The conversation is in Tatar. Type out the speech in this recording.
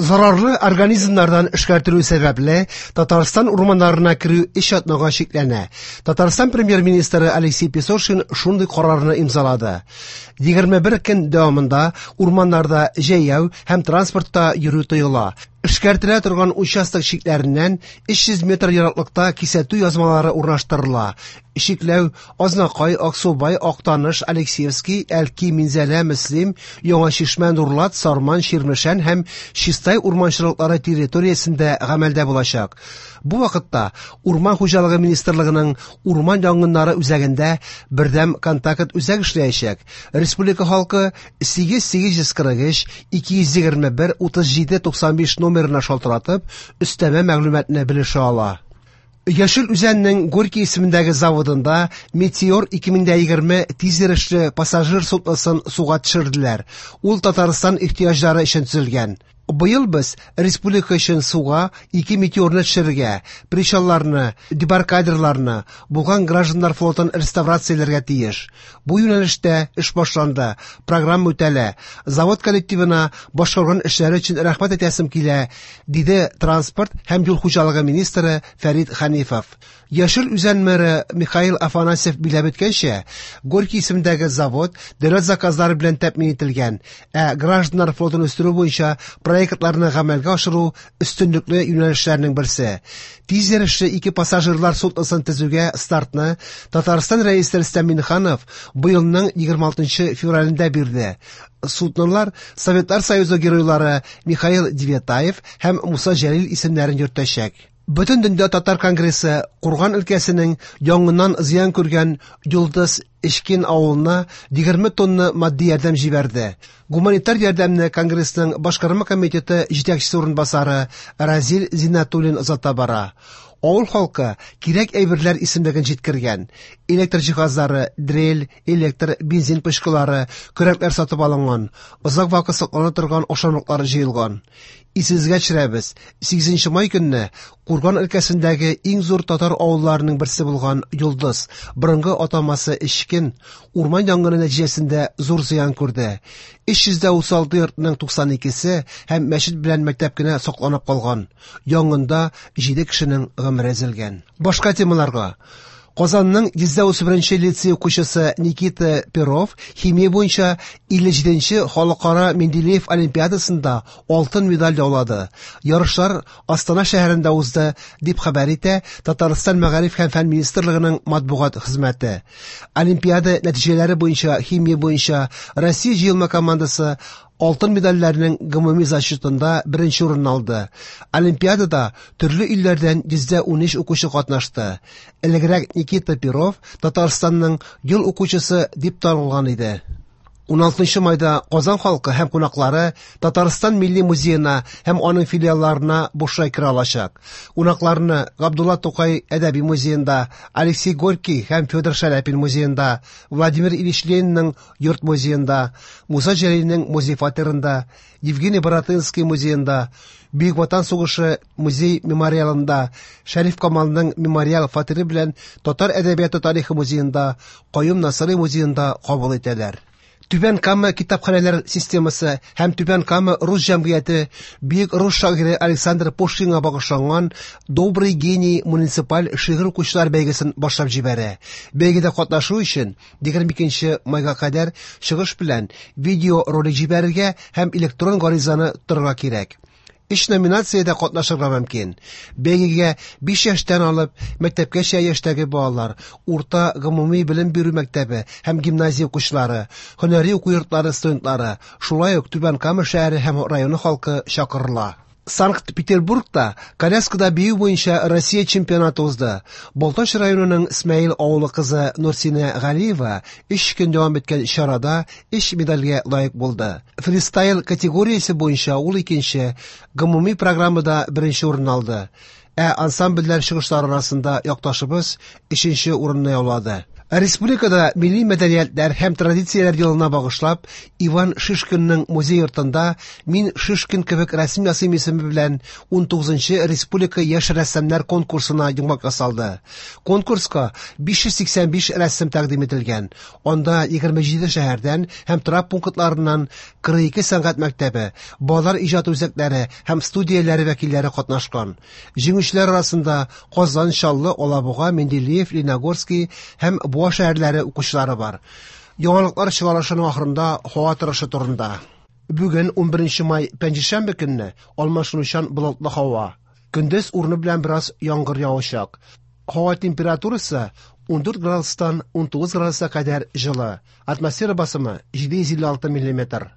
Зарарлы организмнардан эшкәртелү сәбәпле, Татарстан урманнарына керү өч атнага чикләнә. Татарстан премьер-министры Алексей Песошин шундый карарны имзалады. 21 көн дәвамында урманнарда җәяү һәм транспортта йөрү тыела. Эшкәртелә торган участок чикләреннән 300 метр ераклыкта кисәтү язмалары урнаштырыла. Чикләү Азнакай, Аксубай, Актаныш, Алексеевский, Әлки, Минзәлә, Мөслим, Яңа Чишмә, Нурлат, Сарман, Чирмешән һәм Чистай урманчылыклары территориясендә гамәлдә булачак. Бу вакытта Урман хуҗалыгы министрлыгының урман янгыннары үзәгендә бердәм контакт үзәк эшләячәк. Республика халкы 8843 221 37 95 номерына шалтыратып, өстәмә мәгълүматны белешә ала. Яшел Үзәннең Горький исемендәге заводында Метеор 2020 тизйөрешле пассажир судносын суга төшерделәр. Ул Татарстан ихтыяҗлары өчен төзелгән. Быел без республика өчен суга ике метеорны төшерергә, причалларны, дебаркадерларны, булган гражданнар флотын реставрацияләргә тиеш. Бу юнәлештә эш башланды, программа үтәлә. Завод коллективына башкарган эшләре өчен рәхмәт әйтәсем килә, диде транспорт һәм юл хуҗалыгы министры Фәрит Хәнифов. Яшел Үзән мэры Михаил Афанасьев биләп үткәнчә, Горький исемендәге завод дәүләт заказлары белән тәэмин ителгән, ә гражданнар флотын үстерү буенча проектларны гамәлгә ашыру өстенлекле юнәлешләрнең берсе. Тиз йөрешле ике пассажирлар судносын төзүгә стартны Татарстан Рәисе Рөстәм Миңнеханов быелның 26 февралендә бирде. Суднолар Советлар Союзы геройлары Михаил Девятаев һәм Муса Җәлил исемнәрен йөртәчәк. Бөтендөнья татар конгрессы Курган өлкәсенең янгыннан зыян күргән Йолдыз Эчкин авылына 20 тонна матди ярдәм җибәрде. Гуманитар ярдәмне конгрессның башкарма комитеты җитәкчесе урынбасары Разил Зиннәтуллин озата бара. Авыл халкы кирәк әйберләр исемлеген җиткергән. Электр җиһазлары, дрель, электр, бензин пычкылары, көрәкләр сатып алынган, озак вакыт саклана торган ашамлыклар җыелган. Исегезгә төшерәбез, 8 май көнне Курган өлкәсендәге иң зур татар авылларының берсе булган Йолдыз, борынгы атамасы Эчкен, урман янгыны нәтиҗәсендә зур зыян күрде. 336 йортның 92-се һәм мәчет белән мәктәп кенә сакланып калган. Янгында 7 кешенең гомере өзелгән. Башка темаларга. Казанның 131 лицей укучысы Никита Перов химия буенча 57нче халыкара Менделеев олимпиадасында алтын медаль яулады. Ярышлар Астана шәһәрендә узды, дип хәбәр итә Татарстан Мәгариф һәм фән министрлыгының матбугат хезмәте. Олимпиада нәтиҗәләре буенча химия буенча Россия җыелма командасы алтын медальләрнең гомуми зачетында беренче урынны алды. Олимпиадада төрле илләрдән 113 укучы катнашты. Элегрәк Никита Перов Татарстанның ел укучысы дип танылган иде. 16 майда Казан халкы һәм кунаклары Татарстан Милли музеена һәм аның филиалларына бушлай керә алачак. Кунакларны Габдулла Тукай әдәби музеенда, Алексей Горький һәм Федор Шаляпин музеенда, Владимир Ильич Ленинның йорт музеенда, Муса Җәлилнең музей фатирында, Евгений Баратынский музеенда, Бөек Ватан сугышы музей мемориалында, Шәриф Камалның мемориал фатиры белән Татар әдәбияты тарихы музеенда, Каюм Насыйри музеенда кабул итәләр. Түбән Кама китапханәләр системасы һәм Түбән Кама рус җәмгыяте бөек рус шагыйре Александр Пушкинга багышланган Добрый гений муниципаль шигырь укучылар бәйгесен башлап җибәрә. Бәйгедә катнашу өчен 22 майга кадәр чыгыш белән видеоролик җибәрергә һәм электрон гаризаны тутырырга кирәк. Өч номинациядә катнашырга мөмкин. Бәйгегә 5 яшьтән алып мәктәпкәчә яшьтәге балалар, урта гомуми белем бирү мәктәбе һәм гимназия укучылары, һөнәри уку йортлары студентлары, шулай ук Түбән Кама шәһәре һәм районы халкы чакырыла. Санкт-Петербургта коляскада бию буенча Россия чемпионаты узды. Балтач районының Смәел авылы кызы Нурсинә Галиева 3 көн дәвам иткән чарада 3 медальгә лаек булды. Фристайл категориясе буенча ул икенче, гомуми программада беренче урын алды. Ә ансамбльләр чыгышлары арасында якташыбыз өченче урынны яулады. Республикада милли мәдәниятләр һәм традицияләр елына багышлап, Иван Шишкинның музей йортында Мин Шишкин кебек рәсем ясыйм исеме белән 19 нчы республика яшь рәссамнар конкурсына йомгак ясалды. Конкурска 585 рәсем тәкъдим ителгән. Анда 27 шәһәрдән һәм торак пунктларыннан 42 сәнгать мәктәбе, балалар иҗаты үзәкләре һәм студияләре вәкилләре катнашкан. Җиңүчеләр арасында Казан, Чаллы, Алабуга, Менделеев, Лениногорский һәм Буа шәһәрләре укучылары бар. Яңалыклар чыгарылышының ахырында һава торышы турында. Бүген 11 май пәнҗешәмбе көнне алмашынучан болытлы һава. Көндез урыны белән бераз яңгыр явачак. Һава температурасы 14 градустан 19 градуска кадәр җылы. Атмосфера басымы 756 миллиметр.